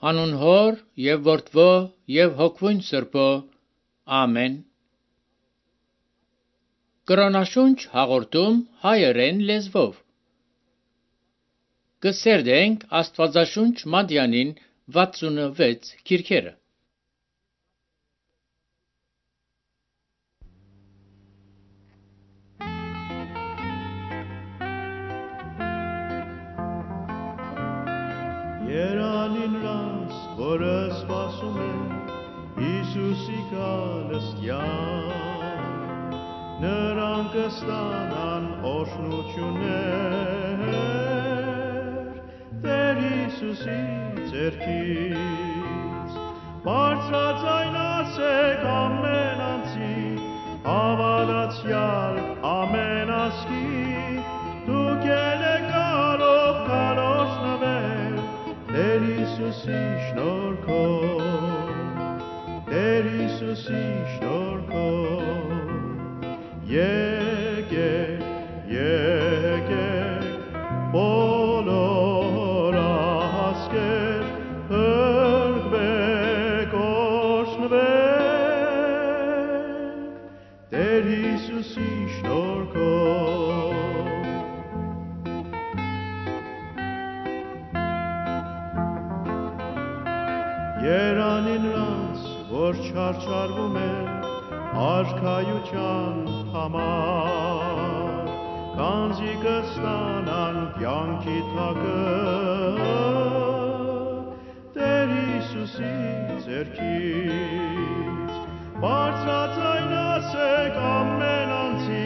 Անուն Հոր եւ Որդվո եւ Հոգվույն Սրբո։ Ամեն։ Կրոնաշունչ հաղորդում հայերեն լեզվով։ Կսերդենք Աստվածաշունչ Մատյանին 66 քիրքերը։ Երանին ռաս, որը սպասում է Հիսուսի գալստյան, նրան կստանան օրհնություններ Տեր Հիսուսի ձեռքից, բարձրաձայն ասեք ամեն անձի, հավատացյալ ամեն ազգի, դուք ելեք կարող կարողնվել Տեր Հիսուսի շնորհքով, Տեր Հիսուսի շնորհքով, եկեք, եկեք, բոլոր ազգեր, փրկվեք, օրհնվեք, Տեր Հիսուսի շնորհքով։ Երանին նրանց, որ չարչարվում են արքայության համար, կանձի կստանան կյանքի թագը Տեր Հիսուսի ձեռքից, բարձրաձայն ասեք ամեն անձի,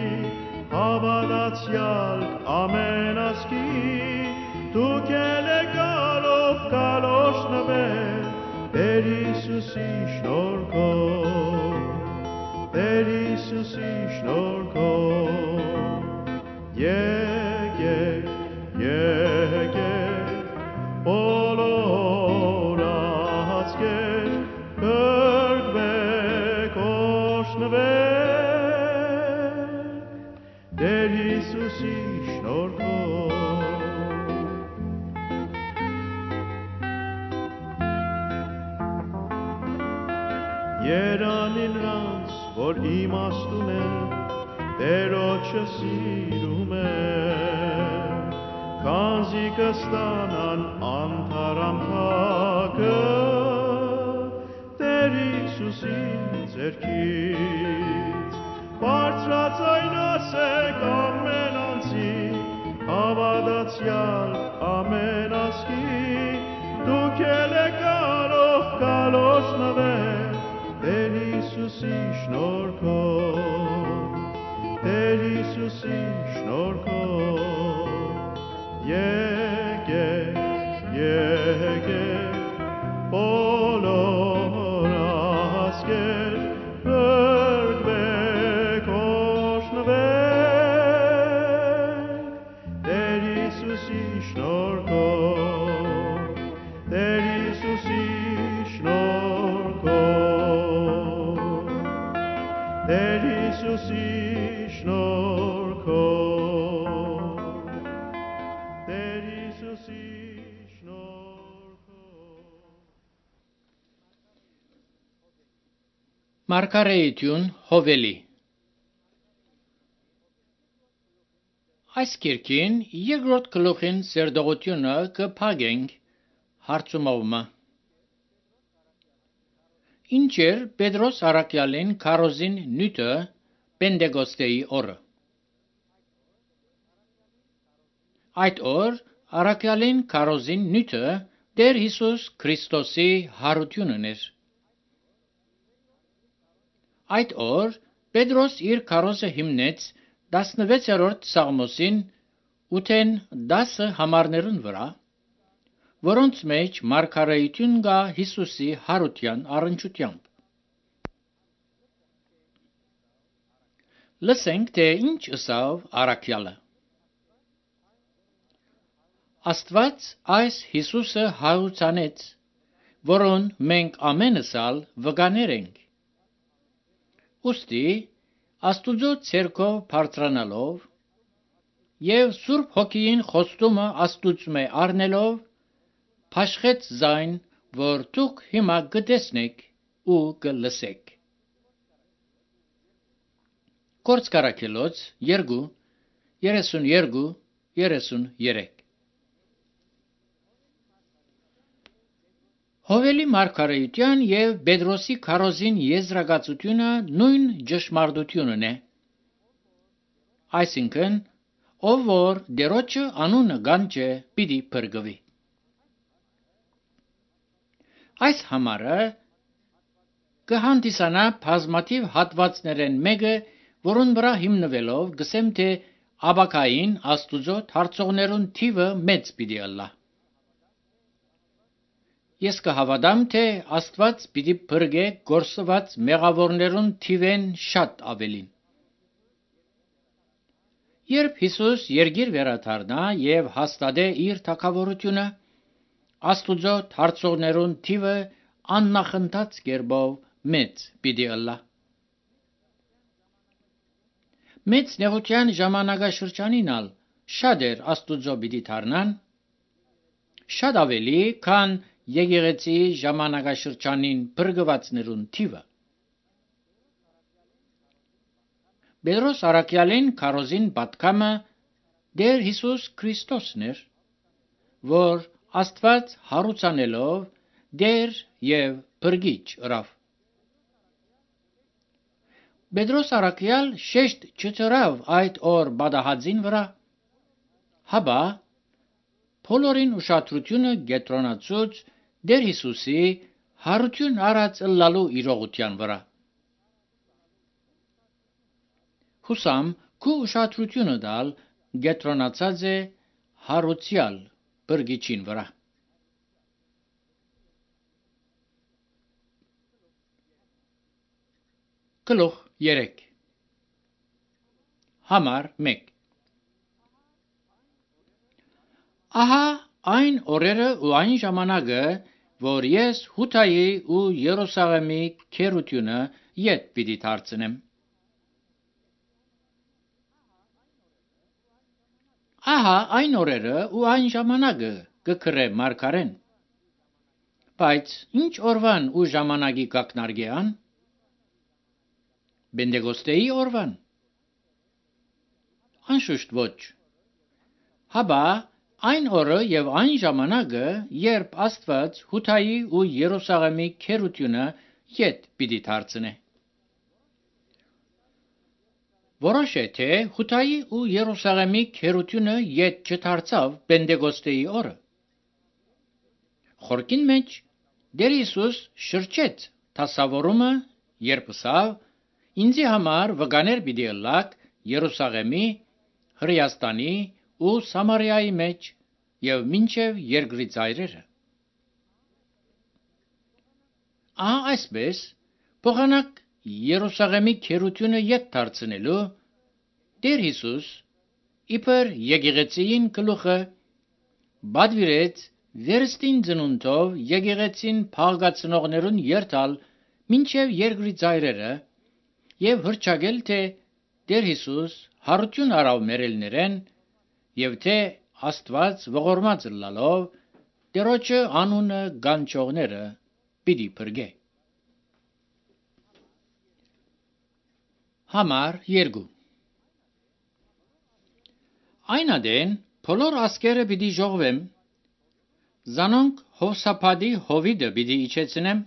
հավատացյալ ամեն ազգի, դուք ելեք կարող օրհնվել Տեր Հիսուսի շնորհքով, Տեր Հիսուսի շնորհքով, եկեք, եկեք, բոլոր ազգեր, փրկվեք, օրհնվեք, Տեր Հիսուսի շնորհքով։ Երանին նրանց, որ իմաստուն են, Տերոջը սիրում են, քանզի կստանան անթարամ թագը Տեր Հիսուսի ձեռքից, բարձրաձայն ասեք ամեն անձի, հավատացյալ ամեն ազգի, դուք ելեք կարող օրհնվել Տեր Հիսուսի շնորհքով, Տեր Հիսուսի շնորհքով, եկեք, եկեք, բոլոր ազգեր, փրկվեք, օրհնվեք, Տեր Հիսուսի շնորհքով, Տեր Հիսուսի շնորհքով, Տեր Հիսուսի շնորհքով, Տեր Հիսուսի շնորհքով։ Մարգարեություն Հովելի։ Այս կիրքին երկրորդ գլուխին սերդողությունը կփակենք հարցումովը։ Ինչ էր Պետրոս առաքյալին քարոզին նյութը Պենտեկոստեի օրը։ Այդ օր առաքյալին քարոզին նյութը Տեր Հիսուս Քրիստոսի հարությունն էր։ Այդ օր Պետրոս իր քարոզը հիմնեց 16-րդ Սաղմոսին 8-10 համարներուն վրա, որոնց մեջ մարգարեություն կա Հիսուսի հարության առնչությամբ։ Լսենք, թե ինչ ըսավ առաքյալը։ Աստված այս Հիսուսը հարուցանեց, որոն մենք ամենս ալ վկաներ ենք։ Ուստի Աստուծո ցերկով բարձրանալով եւ Սուրբ Հոգին խոստումը Աստուծմե առնելով, փաշխեց զայն որ դուք հիմա կտեսնեք ու կլսեք։ Գործք Առաքելոց 2:32-33 Հովելի մարգարեության և Պետրոսի քարոզին եզրակացությունը նույն ճշմարտությունն է, այսինքն, ով որ Տերոջը անունը կանչե, պիտի փրկվի։ Այս համարը կհանդիսանա բազմաթիվ հատվածներեն մեկը, որոնց վրա հիմնվելով կսեմ, թե ապագային Աստուծո դարձողներուն թիվը մեծ պիտի ըլլա։ Ես կհավատամ, թե Աստված պիտի փրկե գործված մեղավորներուն թիվեն շատ ավելին։ Երբ Հիսուս երկիր վերադառնա և հաստատե իր թագավորությունը, Աստուծո դարձողներուն թիվը աննախընթաց կերպով մեծ պիտի ըլլա։ Մեծ նեղության ժամանակաշրջանին ալ շատեր Աստուծո պիտի դառնան, շատ ավելի, քան եկեղեցիի ժամանակաշրջանին փրկվածներուն թիվը։ Պետրոս առաքյալին քարոզին պատգամը Տեր Հիսուս Քրիստոսն էր, որ Աստված հարուցանելով Տեր և Փրկիչ ըրավ։ Պետրոս առաքյալ շեշտ չդրավ այդ օր պատահածին վրա, հապա բոլորին ուշադրությունը կենտրոնացուց Տեր Հիսուսի հարություն առած ըլլալու իրողության վրա։ Հուսամ քու ուշադրությունը տալ կենտրոնացած է հարուցյալ Փրկիչին վրա։ Գլուխ 3 Համար 1 Ահա այն օրերը ու այն ժամանակը, որ ես Հութայի ու Երուսաղեմի քերությունը ետ պիտի դարձնեմ։ Ահա այն օրերը ու այն ժամանակը կգրե մարգարեն։ Բայց ինչ օրվան ու ժամանակի կակնարկեան։ Պենտեկոստեի օրվան։ Անշուշտ ոչ։ Հապա այն օրը և այն ժամանակը, երբ Աստված Հութայի ու Երուսաղեմի քերությունը ետ պիտի դարձնե։ Որոշ է, թե Հութայի ու Երուսաղեմի քերությունը ետ չդարձավ Պենտեկոստեի օրը։ Խորքին մեջ Տեր Հիսուս շրջեց դասավորումը, երբ ասավ. «Ինձի համար վկաներ պիտի ըլլաք Երուսաղեմի, Հրեաստանի ու Սամարիայի մեջ և մինչև երկրի ծայրերը»։ Ահա այսպես, փոխանակ Երուսաղեմի քերությունը ետ դարձնելու Տեր Հիսուս, իբր եկեղեցիին գլուխը, պատվիրեց վերստին ծնունդով եկեղեցին փաղկացնողներուն երթալ մինչև երկրի ծայրերը և հռչակել, թե Տեր Հիսուս հարություն արավ մեռելներեն և թե Աստված ողորմած ըլլալով Տերոջը անունը կանչողները պիտի փրկե։ Համար 2 Այն ադեն բոլոր ազգերը պիտի ժողվեմ, զանոնք Հովսափադի հովիտը պիտի իջեցնեմ,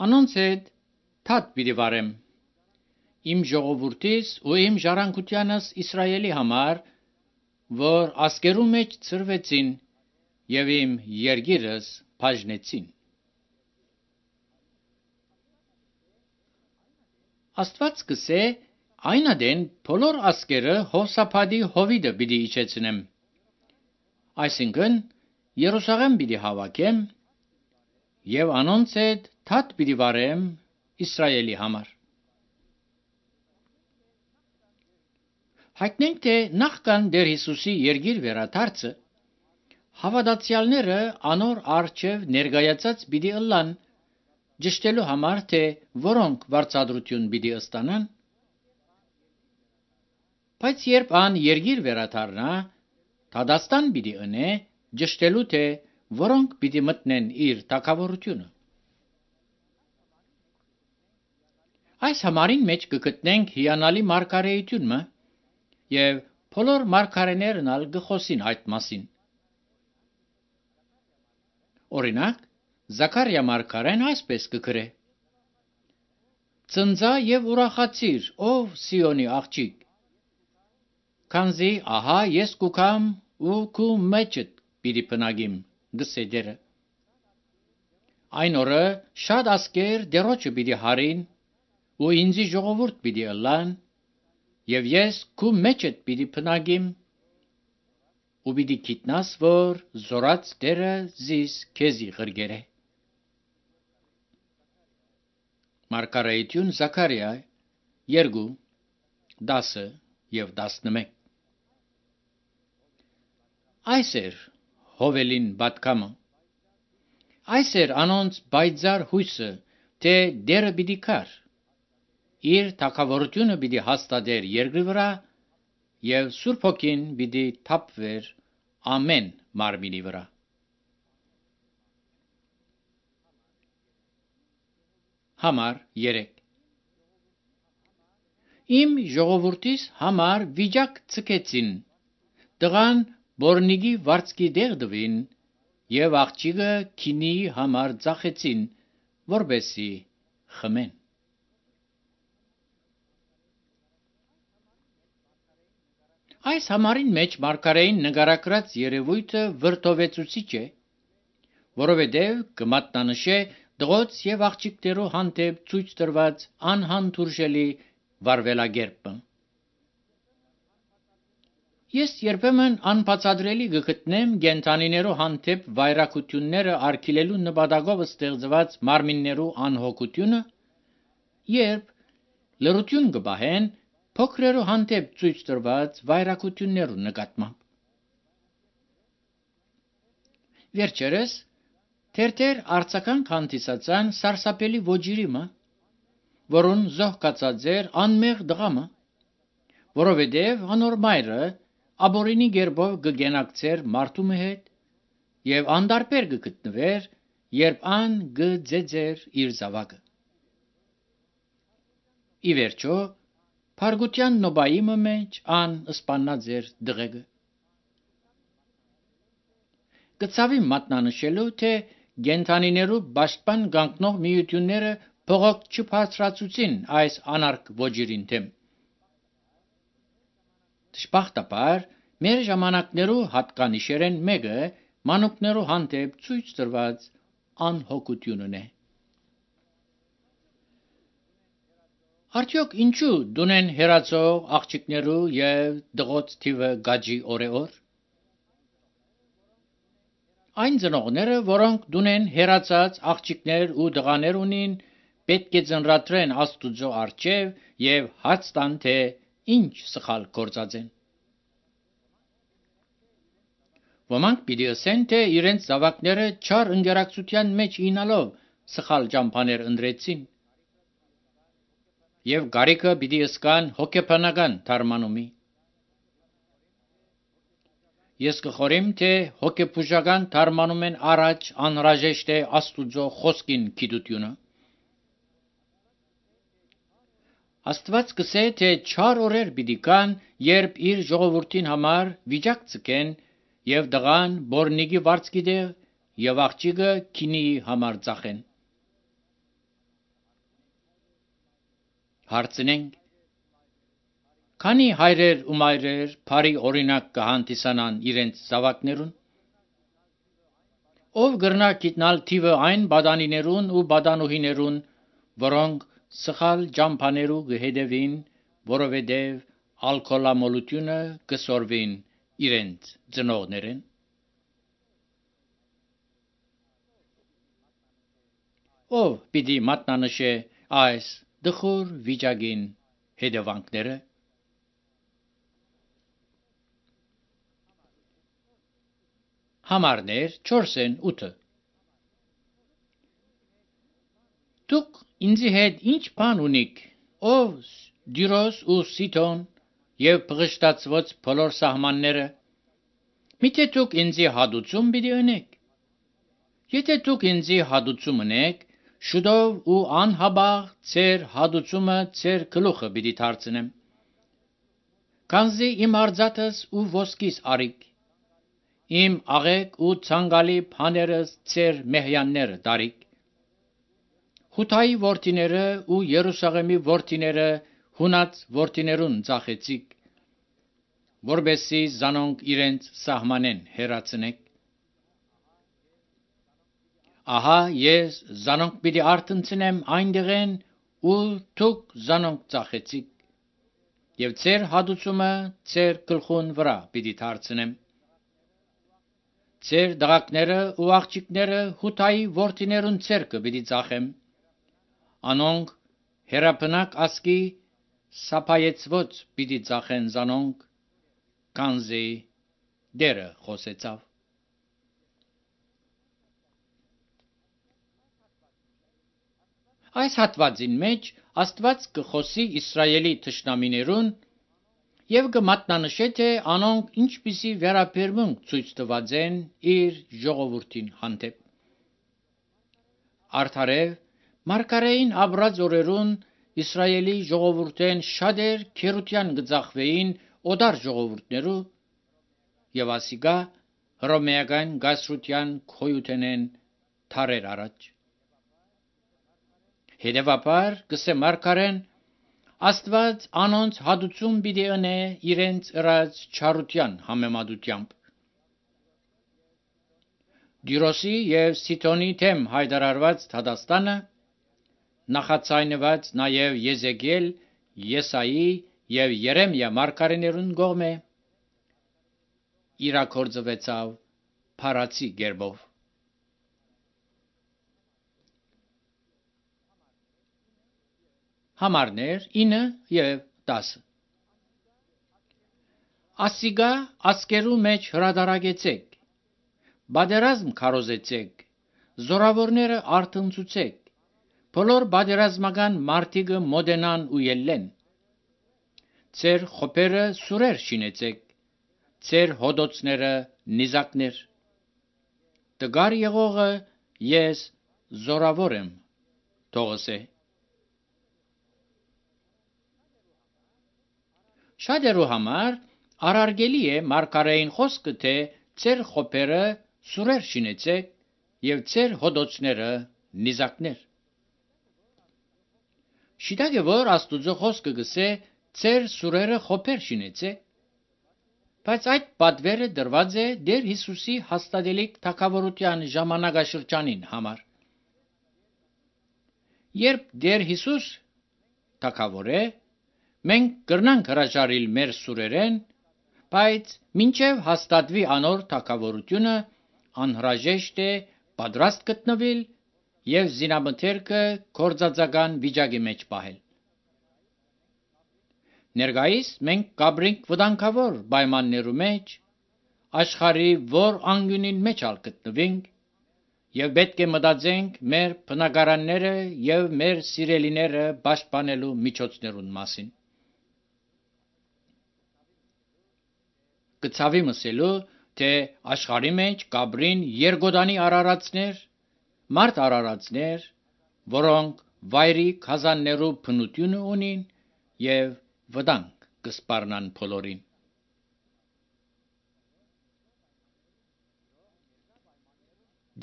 անոնց հետ թաթ պիտի վարեմ, իմ ժողովուրդիս ու իմ ժառանգությանս Իսրայելի համար, որ ազգերու մեջ ցրվեցին և իմ երկիրս բաժնեցին։ Աստված կսե այն ադեն բոլոր ազգերը Հովսափադի հովիտը պիտի իջեցնեմ, այսինքն Երուսաղեմ պիտի հավաքեմ և անոնց հետ թաթ պիտի վարեմ Իսրայելի համար։ Հայտնենք, թե նախքան Տեր Հիսուսի երկիր վերադարձը, հավատացյալները անոր առջև ներկայացած պիտի ըլլան ճշտելու համար, թե որոնք վարձատրություն պիտի ստանան։ Բայց երբ ան երկիր վերադառնա, դատաստան պիտի ընե ճշտելու, թե որոնք պիտի մտնեն իր թագավորությունը։ Այս համարին մեջ կգտնենք հիանալի մարգարեությունը եւ բոլոր մարգարեներն ալ գխոսին այդ մասին։ Օրինակ, Զաքարիա մարգարեն այսպես կգրե. Ծնծա եւ ուրախացիր, ով Սիոնի աղջիկ, քանզի ահա ես կուքամ ու քու մեջդ պիտի բնագիմ, գսե դերը։ Այն օրը շատ ասկեր դերոջը պիտի հարին ու ինձի ժողովուրդ պիտի ըլլան եւ ես քու մեջդ պիտի բնագիմ ու պիտի գիտնաս, որ զորած դերը զիս քեզի ղրգերե։ Մարգարեություն Զաքարիա 2 10 եւ 11։ Այս էր Հովելին պատկամը։ Այս էր անոնց բայձար հույսը, թե դերը պիտի կար։ Իր թագավորությունը պիտի հաստատեր երկրի վրա եւ Սուրբ Հոգին պիտի թափվեր ամեն մարմինի վրա։ Համար 3 Իմ ժողովուրդիս համար վիճակ ցկեցին, տղան բորնիգի վարձկի դեղդվին եւ աղջիկը քինի համար ծախեցին, որբեսի խմեն։ Այս համարին մեջ մարգարեին նկարագրած երևույթը վրդովեցուցիչ է, որովհետև կմատնանշե դղոց եւ աղջիկներու հանդեպ ցույց տրված անհանդուրժելի վարվելագերբը։ Ես երբեմն անբացատրելի կգտնեմ գենթանիներու հանդեպ վայրակությունները արգելելու նպատակով ստեղծված մարմիններու անհոգությունը, երբ լրություն կբահեն փոքրերու հանդեպ ցույց տրված վայրակություններու նկատմամբ։ Վերջերս թերթեր արձագանք հանդիսացան սարսափելի ոճիրիմը, որուն զոհկացած էր անմեղ դղամը, որովհետև անոր մայրը աբորինի գերբով կգենակցեր մարդու հետ եւ անդարբեր կգտնվեր, երբ ան կձեծեր իր զավակը։ Ի վերջո, Փարգության նոբայիմը մեջ ան սպաննած էր դղեգը։ Գծավի մատնանշելու, թե գենթանիներու պաշտպան գանքնող միությունները փողոք չբարձրացուցին այս անարգ ոճիրին թեմ։ Դժբախտաբար, մեր ժամանակներու հատկանիշերեն մեկը մանուկներու հանդեպ ցույց տրված անհոգությունն է։ Արդյոք ինչու դունեն հերացող աղջիկներու եւ դղոց թիվը գաջի օրեօր։ Այն ծնողները, որոնք դունեն հերացած աղջիկներ ու դղաներ ունին, պետք է ծնրատրեն Աստուծո առջև եւ հաց տան, թե ինչ սխալ գործած են։ Ոմանք պիտի ասեն, թե իրենց զավակները չար ընկերակցության մեջ ինալով սխալ ճամփաներ ընտրեցին եւ գարիկը պիտի ըսկան հոգեբանական թարմանումի։ Ես կխորեմ, թե հոգեբուժական թարմանումեն առաջ անհրաժեշտ է Աստուծո խոսքին գիտությունը։ Աստված կսե, թե չար օրեր պիտի կան, երբ իր ժողովրդին համար վիճակ ցկեն եւ դղան բորնիգի վարձկի դեղ եւ աղջիկը քինի համար ծախեն։ Հարցնենք. քանի հայրեր ու մայրեր բարի օրինակ կհանդիսանան իրենց զավակներուն։ Ով գրնա գիտնալ թիվը այն բադանիներուն ու բադանուհիներուն, որոնք սխալ ճամփաներու կհետևին, որովհետև ալկոհոլամոլությունը կսորվին իրենց ծնողներեն։ Ով պիտի մատնանշե այս դխուր վիճակին հետևանքները։ Համարներ 4-ն 8։ Դուք ինձի հետ ինչ բան ունիք, ով Դիրոս ու Սիդոն եւ բղշտացված բոլոր սահմանները։ Միթե դուք ինձի հադուցում պիտի ունեք։ Եթե դուք ինձի հադուցում ունեք, շուտով ու անհաբաղ ձեր հադուցումը ձեր գլուխը պիտի դարձնեմ։ Քանզի իմ արձատս ու ոսկիս արիք, իմ աղեկ ու ցանկալի բաներս ձեր մեհյանները դարիք։ Հութայի որդիները ու Երուսաղեմի որդիները հունած որդիներուն ծախեցիք, որբեսի զանոնք իրենց սահմանեն հեռացնեք։ Ահա ես զանոնք պիտի արթնցնեմ այնտեղեն ու դուք զանոնք ծախեցիք, եւ ձեր հադուցումը ձեր գլխուն վրա պիտի դարձնեմ։ Ձեր դղակները ու աղջիկները հութայի որդիներուն ձեռքը պիտի ծախեմ, անոնք հերապնակ ասկի սափայեցված պիտի ծախեն զանոնք, քանզի Տերը խոսեցավ։ Այս հատվածին մեջ Աստված կխոսի Իսրայելի թշնամիներուն եւ կմատնանշե թե անոնք ինչպիսի վերաբերմունք ցույց տված են իր ժողովրդին հանդեպ։ Արդարև մարգարեին ապրած օրերուն Իսրայելի ժողովուրդեն շատեր քերության գծախվեին օդար ժողովուրդներու եւ ասիկա հռոմեական գասրության քոյութենեն թարեր առաջ։ Հետևաբար կսե մարգարեն Աստված անոնց հադուցում պիտի ընե իրենց ըրած չարության համեմատությամբ։ Դիրոսի եւ Սիթոնի թեմ հայտարարված դատաստանը նախացայնված նաեւ Եզեկիել, Եսայի եւ Երեմիա մարգարեներուն կողմէ իրագործվեցավ փարացի գերբով։ Համարներ 9 եւ 10 Ասիգա ասկերու մեջ հրադարագեցեք, բادرազմ քարոզեցեք, զորավորները արթնցուցեք, բոլոր բادرազմական մարտիկը մոդենան ու ելլեն։ Ձեր խոպերը սուրեր շինեցեք, ձեր հոդոցները նիզակներ։ Տգար եղողը ես զորավոր եմ, թողսե։ Շատերու համար արարգելի է մարգարեին խոսքը, թե ձեր խոպերը սուրեր շինեցեք եւ ձեր հոդոցները նիզակներ։ Շիտակ է, որ Աստուծո խոսքը գսե ձեր սուրերը խոպեր շինեցեք, բայց այդ պատվերը դրված է Տեր Հիսուսի հաստատելիք թագավորության ժամանակաշրջանին համար։ Երբ Տեր Հիսուս թագավոր է, մենք կրնանք հրաժարիլ մեր սուրերեն, բայց մինչև հաստատվի անոր թագավորությունը անհրաժեշտ է պատրաստ գտնվել եւ զինամթերքը կորցածական վիճակի մեջ պահել։ Ներկայիս մենք կաբրինք վտանգավոր պայմաններու մեջ, աշխարհի որ անկյունին մեջ ալ գտնվենք եւ պետք է մտածենք մեր բնակարանները եւ մեր սիրելիները պաշտպանելու միջոցներուն մասին։ Կցավի մսելու, թե աշխարհի մեջ կաբրին երկոտանի արարածներ, մարդ արարածներ, որոնք վայրի քազաններու բնությունը ունին եւ վտանգ կսպառնան բոլորին։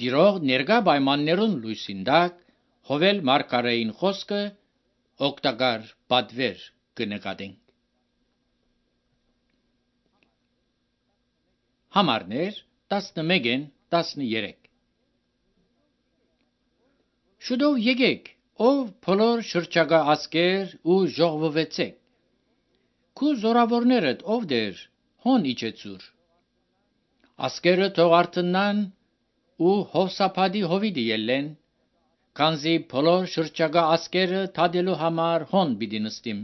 Դիրող ներկա պայմաններուն լույսին տակ հովել մարգարեին խոսքը օգտակար պատվեր կնկատենք։ Համարներ 11-13 Շուտով եկեք, ով բոլոր շրջակա ասկեր ու ժողվվեցեք։ Քու զորավորներդ ով դեր, հոն իջեցուր։ Ասկերը թող արթնան ու հովսափադի հովիդի ելլեն, քանզի բոլոր շրջակա ասկերը թադելու համար հոն պիտի նստիմ։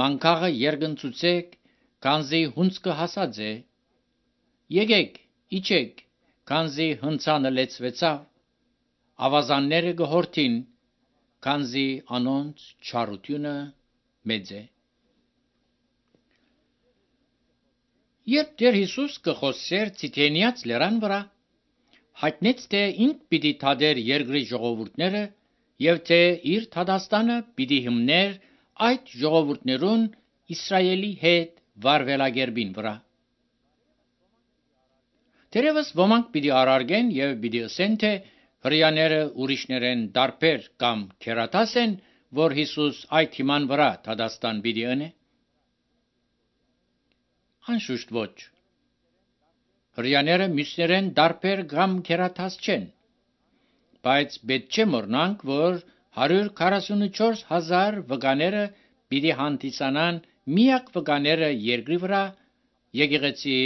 Մանկաղը երգնցուցեք, քանզի հունցքը հասած է։ Եկեք, իջեք, քանզի հնցանը լեցվեցավ, ավազանները գհորթին, քանզի անոնց չարությունը մեծ է։ Երբ Տեր Հիսուս կխոսեր Ցիթենիաց լեռան վրա, հայտնեց, թե ինք պիտի թադեր երկրի ժողովուրդները եւ թե իր թադաստանը պիտի հիմներ այդ ժողովուրդներուն Իսրայելի հետ վարվելագերբին վրա։ Թերևս ոմանք պիտի արարգեն եւ պիտի ասեն, թե հրեաները ուրիշներեն դարբեր կամ քերատաս են, որ Հիսուս այդ հիման վրա թադաստան պիտի ընե։ Անշուշտ ոչ։ Հրեաները մյուսներեն դարբեր կամ քերատաս չեն, բայց պետք չէ մոռնանք, որ 144,000 վկաները պիտի հանդիսանան միակ վկաները երկրի վրա եկեղեցի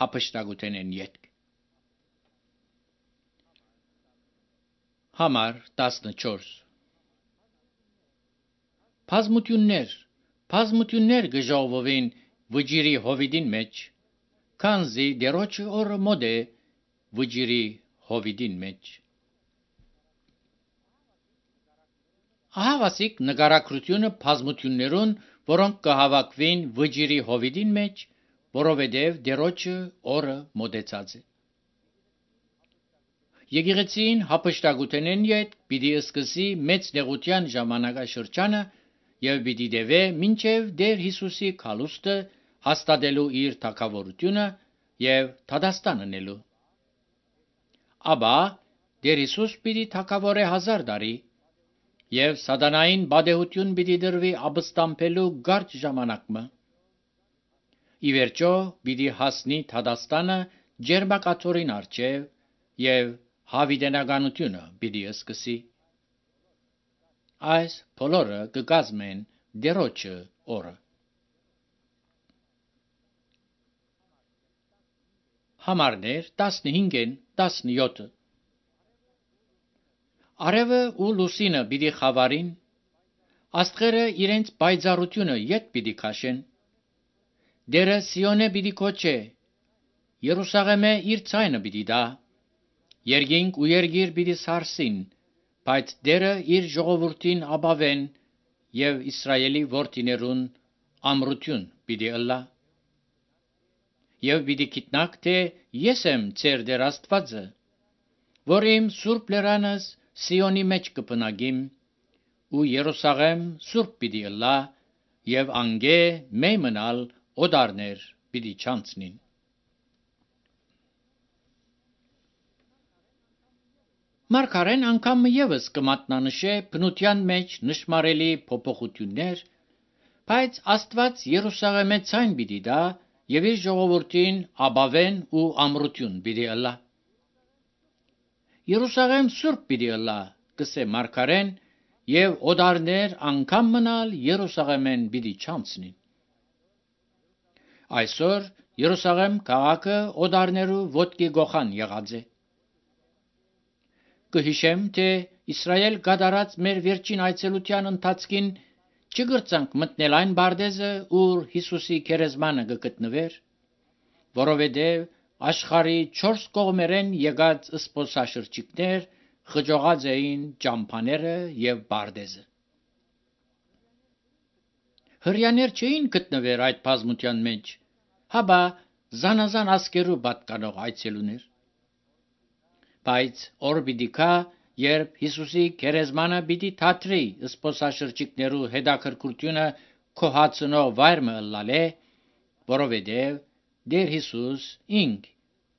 հափշտակութենեն ետք։ Համար 14 Բազմություններ գժողվովին վճիրի հովիդին մեջ, քանզի դերոջը օրը մոտ է վճիրի հովիդին մեջ։ Ահավասիկ նկարագրությունը բազմություններուն, որոնք կհավաքվին վճիրի հովիդին մեջ, որովհետև դերոջը օրը մոտեցած է։ Եկեղեցին հափշտակութենեն յետ պիտի սկսի մեծ նեղության ժամանակաշրջանը եւ պիտի դեվե մինչեւ Տեր Հիսուսի քալուստը հաստատելու իր թագավորությունը եւ թադաստան ընելու։ Աբա Տեր Հիսուս պիտի թագավորե 1000 տարի եւ սատանային բադեհություն պիտի դրվի ապստամբելու կարճ ժամանակը։ Ի վերջո պիտի հասնի թադաստանը ջերմակաթորին առջև եւ հավիտենականությունը պիտի սկսի։ Այս բոլորը կկազմեն դերոջը օրը։ Համարներ 15-ին 17 Արևը ու լուսինը պիտի խավարին, աստղերը իրենց պայծառությունը յետ պիտի քաշեն։ Դերը Սիոնե պիտի կոչե, Երուսաղեմե իր ցայնը պիտի տա, երկինք ու երգիր պիտի սարսին, բայց Դերը իր ժողովրդին ապավեն եւ Իսրայելի որդիներուն ամրություն պիտի ըլլա։ Եվ պիտի գիտնաք, թե ես եմ ձեր Տեր Աստվածը, որ իմ սուրբ լերանս Սիոնի մեջ կբնակիմ, ու Երուսաղեմ սուրբ պիտի ըլլա, եւ անգե մեյ մնալ օդարներ պիտի չանցնին։ Մարգարեն անգամ ևս կմատնանշե բնության մեջ նշմարելի փոփոխություններ, բայց Աստված Երուսաղեմե ցայն պիտի տա եւ իր ժողովրդին ապավեն ու ամրություն պիտի ըլլա։ Երուսաղեմ սուրբ պիտի ըլլա, կսե մարգարեն, եւ օդարներ անգամ մնալ Երուսաղեմեն պիտի չանցնին։ Այսօր Երուսաղեմ քաղաքը օդարներու ոտքի գոխան եղած է։ Կհիշեմ, թե Իսրայել կատարած մեր վերջին այցելության ընթացքին չգրծանք մտնել այն բարձեզը, ուր Հիսուսի քերեզմանը կգտնվեր, որովհետև աշխարհի 4 կողմերեն եկած սփոսաշրջիկներ խճողած էին ճամփաները եւ բարձեզը։ Հրեաներ չէին գտնվեր այդ բազմության մեջ, հաբա զանազան ասկերու պատկանող այցելուներ։ Բայց օր պիտի գա, երբ Հիսուսի քերեզմանը պիտի թատրի սփոսաշրջիկներու հետաքրքրությունը քոհացնող վայրը ըլլալե, որովհետև Տեր Հիսուս ինք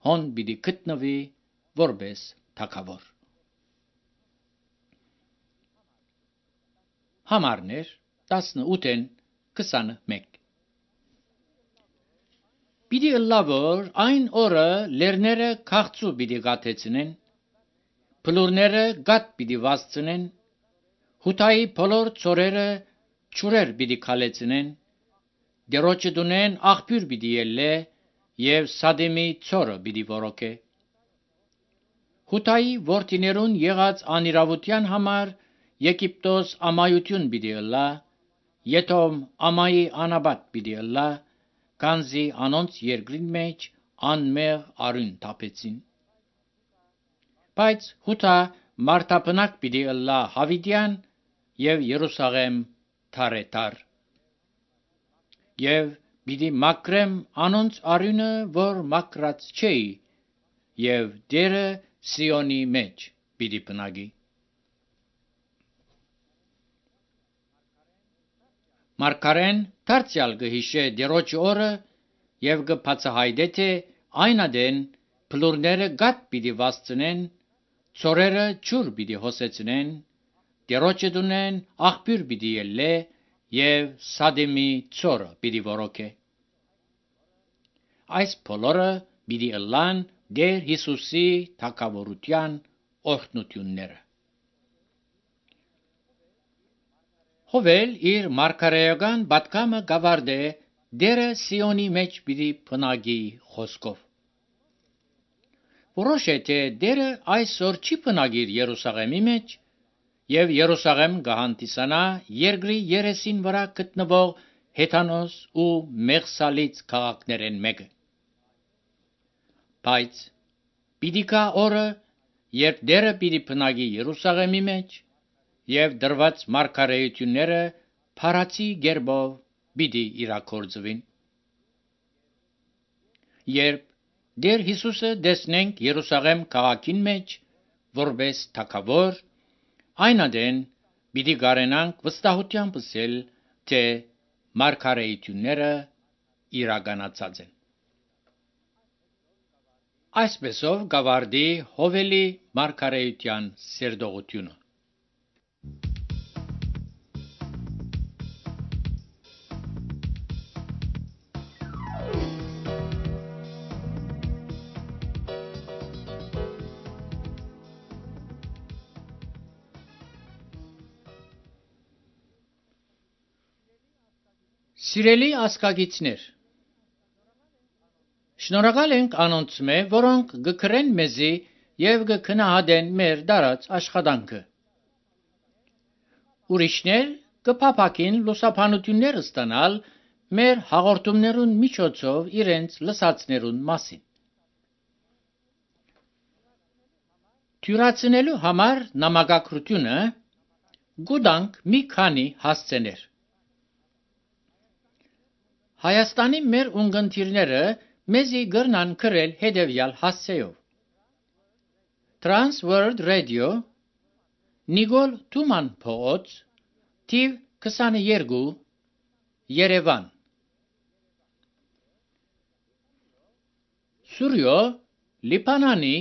հոն պիտի գտնվի որպես թագավոր։ Համարներ 18-ին 21 Պիտի ըլլա, որ այն օրը լերները քաղցու պիտի գաթեցնեն, փլուրները գատ պիտի վասցնեն, հութայի բոլոր ծորերը ճուրեր պիտի քալեցնեն, դերոջը դունեն աղբյուր պիտի ելլե եւ Սադեմի ծորը պիտի որոքե։ Հութայի որդիներուն եղած անիրավության համար Եգիպտոս ամայություն պիտի ըլլա, Եթոմ ամայի անաբատ պիտի ըլլա, քանզի անոնց երկրին մեջ անմեղ արյուն թափեցին։ Բայց հութա մարտապնակ պիտի ըլլա հավիտյան եւ Երուսաղեմ թարետար։ Եվ պիտի մակրեմ անոնց արյունը, որ մակրած չէի, եւ դերը Սիոնի մեջ պիտի բնագի։ Մարգարեն դարձյալ կհիշե դերոջ օրը եւ կբացահայտե թե այն ադեն փլուրները գատ պիտի վասցնեն, ծորերը ջուր պիտի հոսեցնեն, դերոջը դունեն աղբյուր պիտի ելլե եւ Սադեմի ծորը պիտի որոքե։ Այս բոլորը պիտի ըլլան Դեր Հիսուսի թագավորության օրհնությունները։ Հովել իր մարգարեական պատգամը գավարդե դերը Սիոնի մեջ պիտի բնագի խոսքով։ Որոշ է թե դերը այսօր չի բնագիր Երուսաղեմի մեջ եւ Երուսաղեմ կհանդիսանա երկրի երեսին վրա գտնվող հեթանոս ու մեղսալից քաղաքներեն մեկը։ Բայց պիտի գա օրը, երբ դերը պիտի բնագի Երուսաղեմի մեջ եւ դրված մարգարեությունները փարացի գերբով պիտի իրագործվին։ Երբ Դեր Հիսուսը տեսնենք Երուսաղեմ քաղաքին մեջ որպես թագավոր, այն ադեն պիտի գարենանք վստահությամբ ասել, թե մարգարեությունները իրականացած են։ Այսպեսով գավարդի Հովելի մարգարեության սերտողությունը։ Սիրելի ասկագիցներ, շնորհակալ ենք անոնց մե, որոնք գկրեն մեզի եւ գքնահատեն մեր դարած աշխատանքը։ Ուրիշներ կփափակին լուսաբանություններ ստանալ մեր հաղորդումներուն միջոցով իրենց լսածներուն մասին։ Թյուրացնելու համար նամակագրությունը գուտանք մի քանի հասցեներ։ Հայաստանի մեր ունգընտիրները մեզի գրնան գրել հետևյալ հասցեով. Trans World Radio, Նիկոլ Թուման փողոց, թիվ 22, Երևան։ Սուրյո, Լիբանանի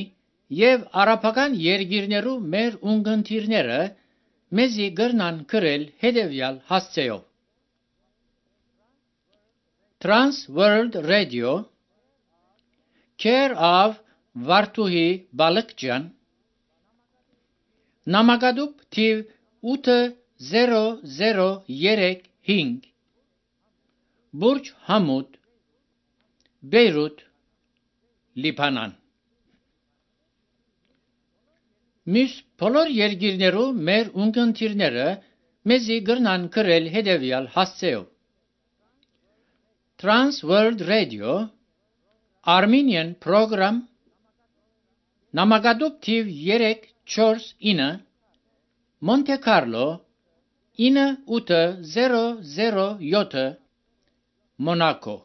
եւ արաբական երկիրներու մեր ունգընտիրները մեզի գրնան գրել հետևյալ հասցեով. Trans World Radio, Care of Վարդուհի Բալկջյան, Նամակադուբ թիվ 8035, Բուրջ Համուդ, Բեյրութ, Լիբանան։ Մյուս բոլոր երկիրներու մեր ունգընտիրները մեզի գրնան գրել հետևյալ հասցեով. Trans World Radio, Armenian Program, Նամակադուբ թիվ 349, Monte Carlo, 9807, Monaco։